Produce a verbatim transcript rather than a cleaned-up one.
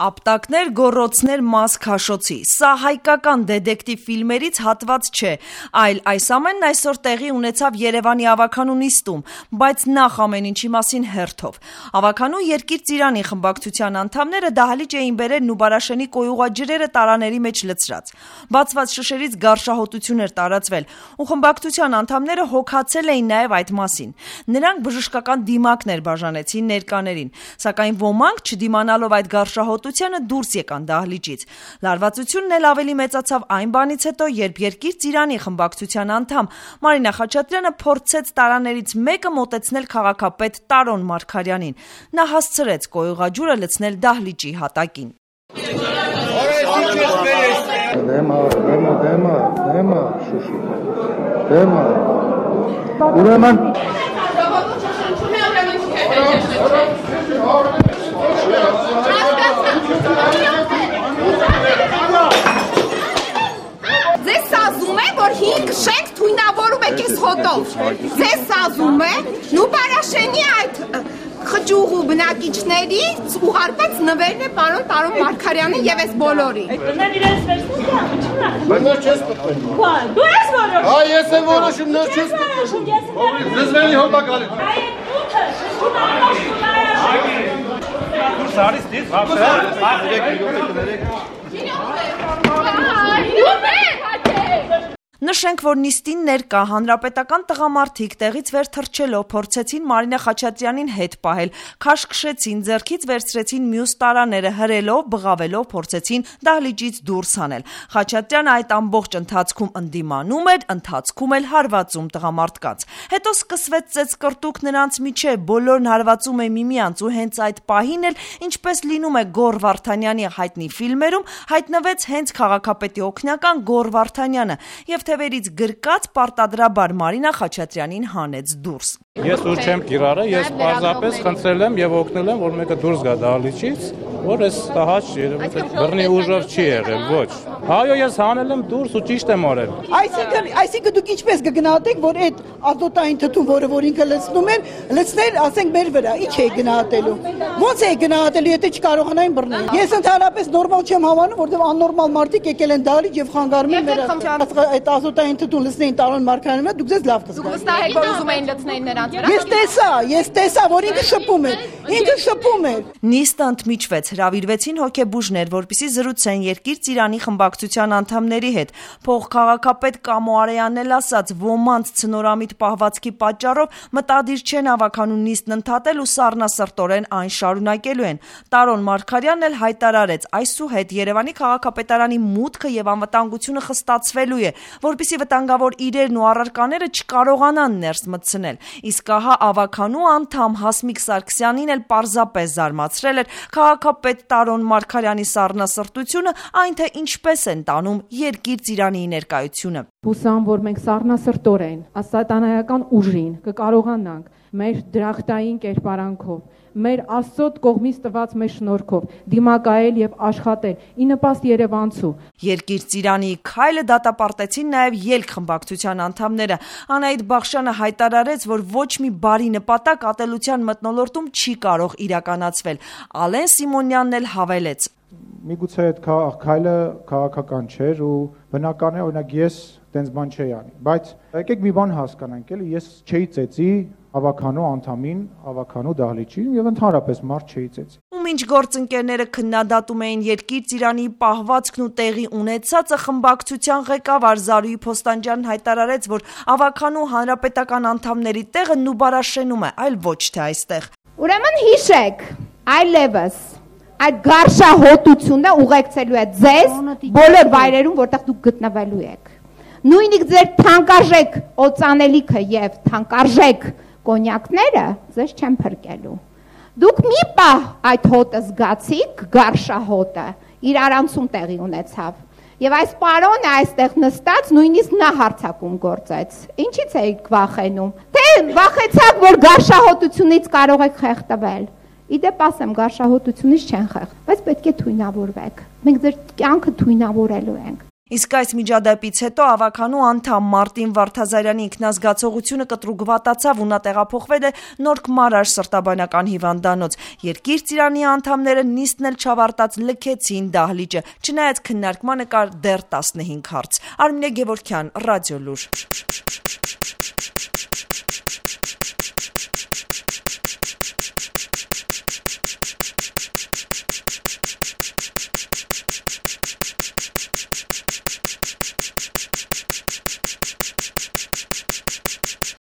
Ապտակներ, գոռոցներ, մաս քաշոցի։ Սա հայկական դետեկտիվ ֆիլմերից հատված չէ, այլ այս ամենն այսօր տեղի ունեցավ Երևանի ավականու նիստում, բայց նախ ամեն ինչի մասին հերթով։ Ավականու Երկիր ծիրանի խմբակցության անդամները դահլիճ էին բերել Նուբարաշենի կոյուղաջրերը տարաների մեջ լցրած։ Բացված շշերից գարշահոտություն էր տարածվել, ու խմբակցության անդամները հոգացել էին նաև այդ մասին։ Նրանք բժշկական դիմակներ բաժանեցին ներկաներին, սակայն ոմանք չդիմանալով այդ գարշահոտությանը դուրս եկան դահլիճից։ Լարվածությունն էլ ավելի մեծացավ այն բանից հետո, երբ Երկիր ծիրանի խմբակցության անդամ Մարինա Խաչատրյանը փորձեց տարաներից մեկը մոտեցնել քաղաքապետ Տարոն Մարգարյանին։ Նա հասցրեց կոյուղաջուրը լցնել դահլիճի հատակին։ Դեմա, դեմա, դեմա, դեմա, շուշի, դեմա, ուրեմն Ձեզ սազում է, որ հինգ շենք թույնավորում եք ես հոտով։ Ձեզ սազում է Նուբարաշենի այդ խճուղու բնակիչներից ուղարկված նվերն է պարոն Տարոն Մարգարյանի եւ այս բոլորի։ Նեն իրենց վերցնի, Բայց նոր չես պտտում։ դու ես որոշում։ Հա, ես եմ որոշում, նոր չես պտտում։ Զզվելի հոտա գալի։ Այդ ութը շուտարաշ Դուրս արից դից, Նշենք, որ նիստին ներկա հանրապետական տղամարդիկ տեղից վեր թռչելով փորձեցին Մարինա Խաչատրյանին հետ պահել, քաշքշեցին, ձեռքից վերցրեցին մյուս տարաները, հրելով, բղավելով փորձեցին դահլիճից դուրս հանել։ Խաչատրյանը այդ ամբողջ ընթացքում ընդդիմանում էր, ընթացքում էլ հարվածում տղամարդկանց։ Հետո սկսվեց ծեծկռտուք նրանց միջև, բոլորն հարվածում են միմյանց ու հենց այդ պահին էլ, ինչպես լինում է Գոռ Վարդանյանի հայտնի ֆիլմերում, հայտնվեց հենց քաղաքապետի օգնական Գոռ Վարդանյանը եւ թևերից գրկած պարտադրաբար Մարինա Խաչատրյանին հանեց դուրս։ Ես ուր չեմ կիրառը, ես պարզապես խնդրել եմ եւ օգնել եմ, որ մեկը դուրս գա դահլիճից, որ այս տհաճ երևի թե բռնի ուժով չի եղել, ոչ։ Այո, ես հանել եմ դուրս ու ճիշտ եմ արել։ Այսինքն, այսինքն դուք ինչպես կգնահատեք, որ այդ ազոտային թթուն, որը որ ինքը լցնում են, լցնել, ասենք, մեր վրա, ինչ է գնահատելու։ Ո՞նց է գնահատելու, եթե չկարողանային բռնել։ Ես ընդհանրապես նորմալ չեմ հավանում, որովհետև աննորմալ մարդիկ եկել են դահլիճ եւ խանգարում են մեր այդ ազոտային թթուն լցնեին Տարոն Մարգարյանը, դուք ձեզ լավ կզգաք։ Վստահ եք, որ ուզում էին լցնել նրանց վրա։ Ես տեսա, ես տեսա, որ ինքը շփում էր, ինքը շփում էր։ Նիստը ընդմիջվեց, հրավիրվեցին հոգեբուժներ, որպեսզի զրուցեն Երկիր ծիրանի խմբակցության անդամների հետ։ Փոխքաղաքապետ Կամո Արեյանն էլ ասաց, ոմանց ցնորամիտ պահվածքի պատճառով մտադիր չեն ավականու նիստն ընդհատել ու սառնասրտորեն այն շարունակելու են։ Տարոն Մարգարյանն էլ հայտարարեց, այսուհետ Երևանի քաղաքապետարանի մուտքը եւ անվտանգությունը խստացվելու է, որպեսզի վտանգավոր իրերն ու առարկաները չկարողանան ներս մտցնել։ Իսկ ահա ավականու անդամ Հասմիկ Սարգսյանին էլ պարզապես զարմացրել էր քաղաքապետ Տարոն Մարգարյանի սառնասրտությունը, այն թե ինչպես են տանում Երկիր ծիրանի ներկայությունը։ Հուսամ, որ մենք սառնասրտորեն, ասատանայական ուժին կկարողանանք մեր դրախտային կերպարանքով, մեր Աստծո կողմից տված մեր շնորհքով դիմակայել եւ աշխատել ի նպաստ երևանցու։ Երկիր ծիրանի քայլը դատապարտեցին նաեւ ելք խմբակցության անդամները։ Անահիտ Բախշյանը հայտարարեց, որ ոչ մի բարի նպատակ ատելության մթնոլորտում չի կարող իրականացվել։ Ալեն Սիմոնյանն էլ հավելեց. Միգուցե այդ քայլը քաղաքական չէր ու բնական է, օրինակ ես տենց բան չէի անի, բայց եկեք մի բան հասկանանք, էլի ես չէի ծեծի ավականու անդամին, ավականու դահլիճին եւ ընդհանրապես մարդ չէի ծեծի։ Ու մինչ գործընկերները քննադատում էին Երկիր ծիրանի պահվածքն ու տեղի ունեցածը, խմբակցության ղեկավար Զարուհի Փոստանջյանն հայտարարեց, որ ավականու հանրապետական անդամների տեղը Նուբարաշենում է, այլ ոչ թե այստեղ։ Ուրեմն հիշեք, այլևս այդ գարշահոտությունը ուղեկցելու է ձեզ բոլոր վայրերում, որտեղ դուք գտնվելու եք։ Նույնիսկ ձեր թանկարժեք օծանելիքը եւ թանկարժեք կոնյակները ձեզ չեն փրկելու։ Դուք մի պահ այդ հոտը զգացիք, գարշահոտը, իր արանցում տեղի ունեցավ։ Եվ այս պարոնը այստեղ նստած նույնիսկ նա հարցակում գործեց։ Ինչից եք վախենում։ Թե վախեցաք, որ գարշահոտությունից կարող եք խեղդվել։ Իդեպ ասեմ, գարշահոտությունից չեն խեղդ, բայց պետք է թույնավորվեք։ Մենք ձեր կյանքը թույնավորելու ենք։ Իսկ այս միջադեպից հետո ավականու անդամ Մարտին Վարդազարյանի ինքնազգացողությունը կտրուկ վատացավ ու նա տեղափոխվել է Նորք Մարաշ սրտաբանական հիվանդանոց։ Երկիր ծիրանի անդամները նիստն էլ չավարտած լքեցին դահլիճը, չնայած քննարկմանը կար դեռ տասնհինգ հարց։ Արմինե Գևորգյան, Ռադիոլուր։